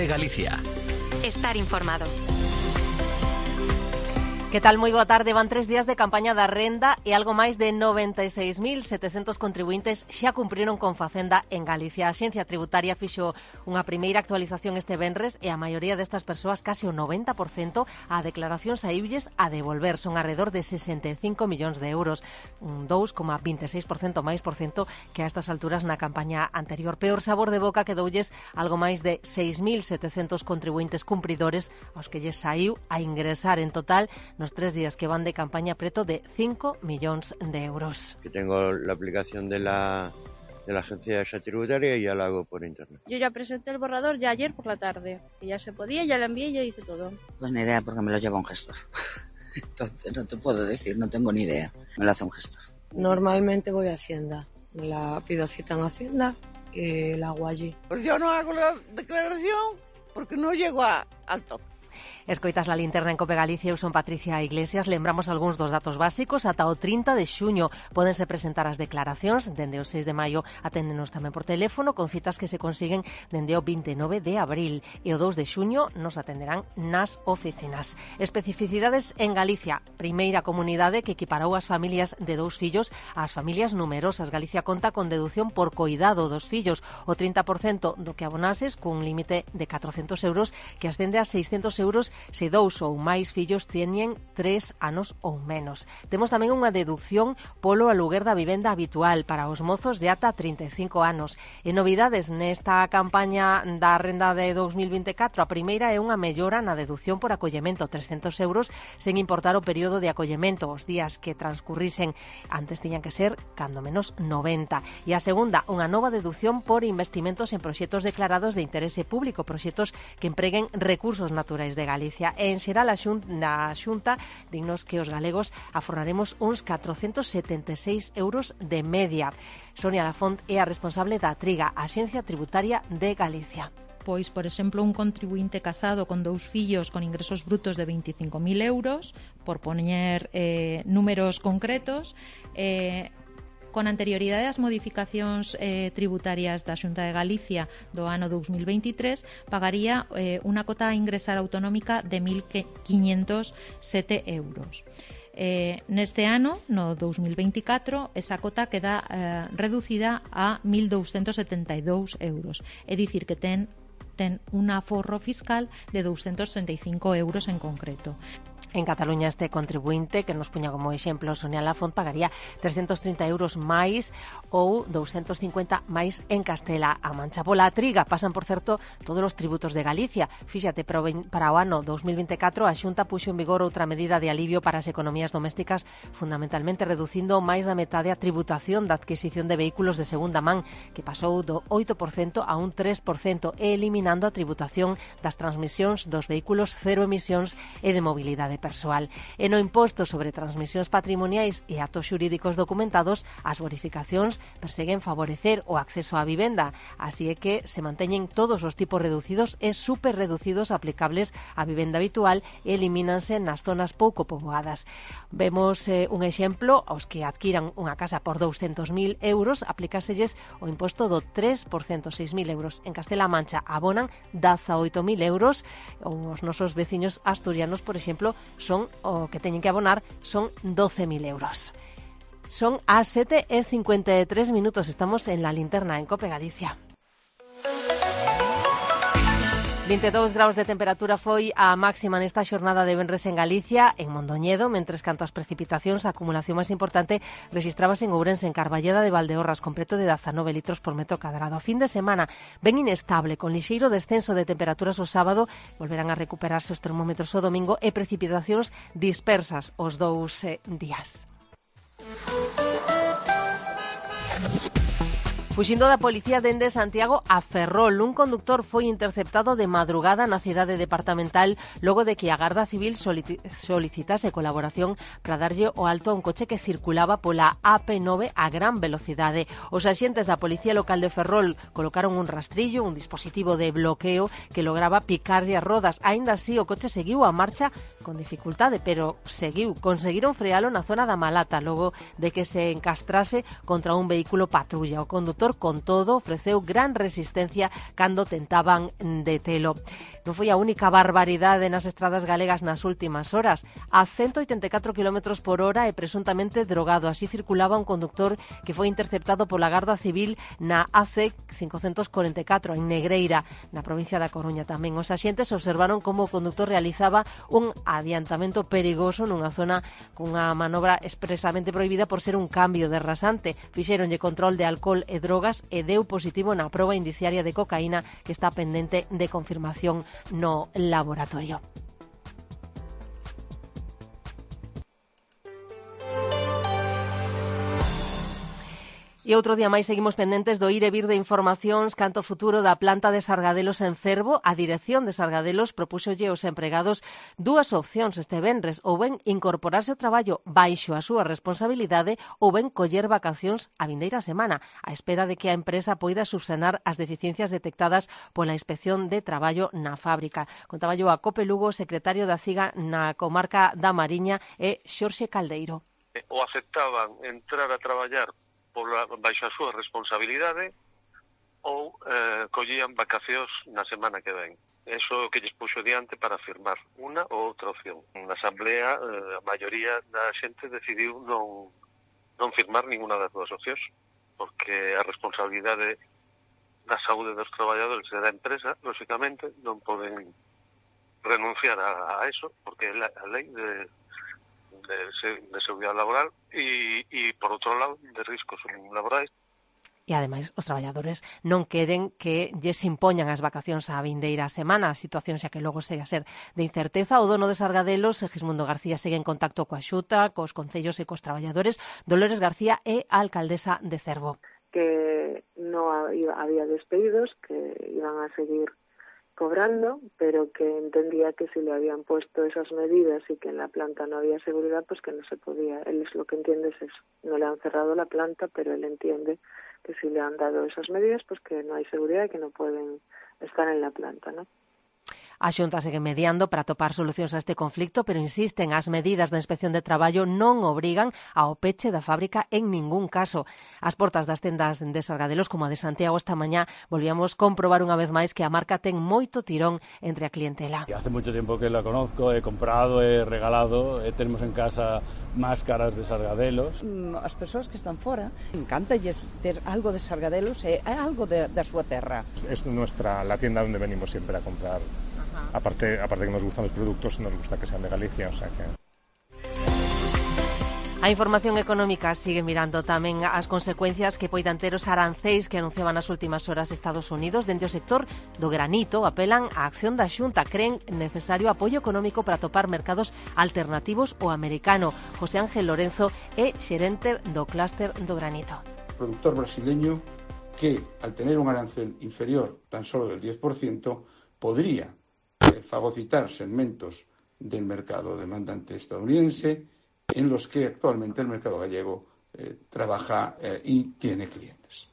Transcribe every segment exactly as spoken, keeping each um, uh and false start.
Cope Galicia. Estar informado. Que tal? Moi boa tarde. Van tres días de campaña da renda e algo máis de noventa e seis mil setecentos contribuintes xa cumpriron con Facenda en Galicia. A Axencia Tributaria fixo unha primeira actualización este venres e a maioría destas persoas, case o noventa por cento, a declaracións a ibles a devolver. Son alrededor de sesenta e cinco millóns de euros, un dous coma vinte e seis por cento máis por cento que a estas alturas na campaña anterior. Peor sabor de boca que doulles algo máis de seis mil setecentos contribuintes cumpridores aos que lles saiu a ingresar en total nos tres días que van de campaña preto de cinco millóns de euros. Que tengo la aplicación de la, de la agencia tributaria y ya la hago por internet. Yo ya presenté el borrador ya ayer por la tarde, y ya se podía, ya lo envié y ya hice todo. Pues ni idea, porque me lo lleva un gestor. Entonces no te puedo decir, no tengo ni idea. Me lo hace un gestor. Normalmente voy a Hacienda, la pido cita en Hacienda y la hago allí. Pues yo no hago la declaración porque no llego a, al top. Escoitas la linterna en Cope Galicia. Eu son Patricia Iglesias. Lembramos algúns dos datos básicos. Ata o trinta de xuño pódense presentar as declaracións. Dende o seis de maio aténdenos tamén por teléfono con citas que se consiguen dende o vinte e nove de abril. E o dous de xuño nos atenderán nas oficinas. Especificidades en Galicia. Primeira comunidade que equiparou as familias de dous fillos ás familias numerosas. Galicia conta con deducción por coidado dos fillos. O trinta por cento do que abonases cun límite de catrocentos euros que ascende a seiscentos euros se dous ou máis fillos teñen tres anos ou menos. Temos tamén unha deducción polo aluguer da vivenda habitual para os mozos de ata trinta e cinco anos. E novidades nesta campaña da renda de dous mil vinte e catro. A primeira é unha mellora na deducción por acollemento, trescentos euros sen importar o período de acollemento. Os días que transcurrisen antes tiñan que ser cando menos noventa. E a segunda, unha nova deducción por investimentos en proxectos declarados de interese público, proxectos que empreguen recursos naturais de Galicia. E en xeral a xunta, na xunta dignos que os galegos aforraremos uns catrocentos setenta e seis euros de media. Sonia Lafont é a responsable da Triga, a Axencia Tributaria de Galicia. Pois, por exemplo, un contribuinte casado con dous fillos con ingresos brutos de veinticinco mil euros, por poñer eh, números concretos, eh, con anterioridade ás modificacións eh, tributarias da Xunta de Galicia do ano dous mil veintitrés, pagaría eh, unha cota a ingresar autonómica de mil quinhentos sete euros. Eh, neste ano, no dous mil veinticatro, esa cota queda eh, reducida a mil douscentos setenta e dous euros, é dicir que ten, ten un aforro fiscal de douscentos treinta e cinco euros en concreto. En Cataluña este contribuinte, que nos puña como exemplo Sonia Lafont, pagaría trescentos trinta euros máis ou doscientos cincuenta máis en Castela-A Mancha. Pola Triga pasan, por certo, todos os tributos de Galicia. Fíxate, para o ano dous mil vinte e catro a Xunta puxo en vigor outra medida de alivio para as economías domésticas, fundamentalmente reducindo máis da metade a tributación da adquisición de vehículos de segunda man, que pasou do oito por cento a un tres por cento, e eliminando a tributación das transmisións dos vehículos cero emisións e de mobilidade persoal. E no imposto sobre transmisións patrimoniais e actos xurídicos documentados, as bonificacións perseguen favorecer o acceso á vivenda, así é que se manteñen todos os tipos reducidos e super reducidos aplicables á vivenda habitual e elimínanse nas zonas pouco poboadas. Vemos eh, un exemplo: aos que adquiran unha casa por douscentos mil euros aplicáselles o imposto do tres por cento, seis mil euros. En Castela-A Mancha abonan dezaoito mil euros. Os nosos veciños asturianos, por exemplo, son o que teñen que abonar son doce mil euros. Son as sete e cincuenta e tres minutos. Estamos en la linterna en Cope Galicia. vinte e dous graus de temperatura foi a máxima nesta xornada de venres en Galicia, en Mondoñedo, mentres canto as precipitacións, a acumulación máis importante rexistrábase en Ourense, en Carballeda de Valdeorras, con preto de dezanove litros por metro cadrado. A fin de semana ben inestable, con lixeiro descenso de temperaturas o sábado, volverán a recuperarse os termómetros o domingo e precipitacións dispersas os dous eh, días. Fuxindo da policía dende Santiago a Ferrol, un conductor foi interceptado de madrugada na cidade departamental logo de que a Garda Civil solicitase colaboración para darlle o alto a un coche que circulaba pola A P nove a gran velocidade. Os axentes da Policía Local de Ferrol colocaron un rastrillo, un dispositivo de bloqueo que lograba picarlle as rodas. Aínda así, o coche seguiu a marcha con dificultade, pero seguiu. Conseguiron frealo na zona da Malata logo de que se encastrase contra un vehículo patrulla. O condutor conductor, con todo, ofreceu gran resistencia cando tentaban detelo. Non foi a única barbaridade nas estradas galegas nas últimas horas. A ciento oitenta e catro kilómetros por hora e presuntamente drogado. Así circulaba un conductor que foi interceptado pola Garda Civil na A C cincocentos cuarenta e catro, en Negreira, na provincia da Coruña tamén. Os axentes observaron como o conductor realizaba un adiantamento perigoso nunha zona cunha manobra expresamente prohibida por ser un cambio de rasante. Fixéronlle control de alcohol e drogas e deu positivo na proba indiciaria de cocaína que está pendente de confirmación no laboratorio. E outro día máis seguimos pendentes do ir e vir de informacións canto futuro da planta de Sargadelos en Cervo. A dirección de Sargadelos propúxolle aos empregados dúas opcións este venres, ou ben incorporarse ao traballo baixo a súa responsabilidade ou ben coller vacacións a vindeira semana, á espera de que a empresa poida subsanar as deficiencias detectadas pola Inspección de Traballo na fábrica. Contaballo a Cope Lugo, secretario da CIGA na comarca da Mariña, e Xorxe Caldeiro. O aceptaban entrar a traballar pola, baixo a súa responsabilidade ou eh, collían vacacións na semana que ven. Eso é o que lles puxo diante para firmar unha ou outra opción. Na asamblea, eh, a maioría da xente decidiu non, non firmar ninguna das dúas opcións, porque a responsabilidade da saúde dos traballadores e da empresa, lógicamente, non poden renunciar a, a eso, porque é a lei de De, de seguridade laboral e, e, por outro lado, de riscos laborais. E, ademais, os traballadores non queren que lles impoñan as vacacións a vindeira semana, a situación xa que logo segue a ser de incerteza. O dono de Sargadelos, Gismundo García, segue en contacto coa Xunta, cos concellos e cos traballadores. Dolores García é a alcaldesa de Cervo. Que non había despedidos, que iban a seguir cobrando, pero que entendía que si le habían puesto esas medidas y que en la planta no había seguridad, pues que no se podía. Él es lo que entiende es eso. No le han cerrado la planta, pero él entiende que si le han dado esas medidas, pues que no hay seguridad y que no pueden estar en la planta, ¿no? A Xunta segue mediando para topar solucións a este conflicto, pero insisten, as medidas da Inspección de Traballo non obrigan ao peche da fábrica en ningún caso. As portas das tendas de Sargadelos, como a de Santiago esta mañá, volvíamos comprobar unha vez máis que a marca ten moito tirón entre a clientela. Hace moito tempo que la conozco, he comprado, he regalado, eh, tenemos en casa máscaras de Sargadelos. As persoas que están fora, encántalles ter algo de Sargadelos e algo de, da súa terra. Es nuestra, la tienda donde venimos siempre a comprar. Aparte, aparte que nos gustan los productos, nos gusta que sean de Galicia, o sea que... A información económica sigue mirando tamén as consecuencias que poidan ter os arancéis que anunciaban nas últimas horas Estados Unidos. Dende o sector do granito apelan á acción da Xunta. Creen necesario apoio económico para topar mercados alternativos ao americano. José Ángel Lorenzo é xerente do clúster do granito. O productor brasileño que, al tener un arancel inferior tan solo del diez por ciento, podría fagocitar segmentos del mercado demandante estadounidense en los que actualmente el mercado gallego eh, trabaja eh, y tiene clientes.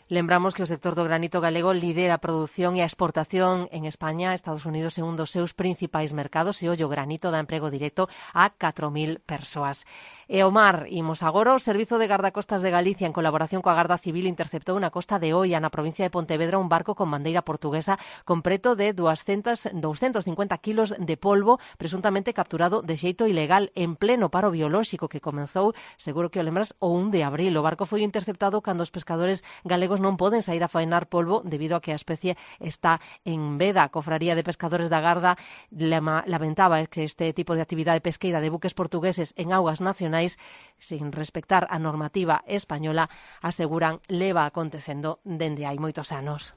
Lembramos que o sector do granito galego lidera a produción e a exportación en España. Estados Unidos é un dos seus principais mercados e o granito dá emprego directo a catro mil persoas. E o mar, imos agora. O Servizo de Gardacostas de Galicia, en colaboración coa Garda Civil, interceptou na costa de Oia, na provincia de Pontevedra, un barco con bandeira portuguesa con preto de doscientos cincuenta kilos de polvo, presuntamente capturado de xeito ilegal en pleno paro biolóxico que comenzou, seguro que o lembras, o un de abril. O barco foi interceptado cando os pescadores galegos non poden sair a faenar polvo debido a que a especie está en veda. A Cofraría de Pescadores da Garda lamentaba que este tipo de actividade pesqueira de buques portugueses en augas nacionais, sin respectar a normativa española, aseguran leva acontecendo dende hai moitos anos.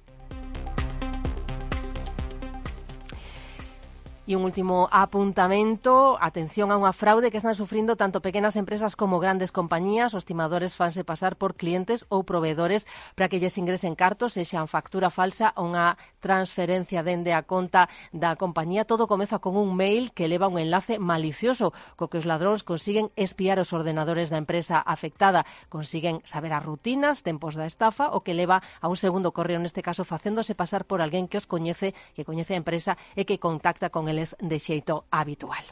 E un último apuntamento, atención a unha fraude que están sufrindo tanto pequenas empresas como grandes compañías. Os timadores fanse pasar por clientes ou proveedores para que lles ingresen cartos, sexan factura falsa ou unha transferencia dende a conta da compañía. Todo comeza con un mail que leva un enlace malicioso, co que os ladróns consiguen espiar os ordenadores da empresa afectada, consiguen saber as rutinas, tempos da estafa, o que leva a un segundo correo, neste caso facéndose pasar por alguén que os coñece, que coñece a empresa e que contacta con eles de xeito habitual.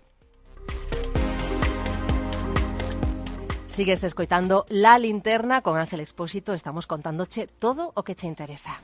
Sigues escoitando La Linterna con Ángel Expósito, estamos contándoche todo o que che interesa.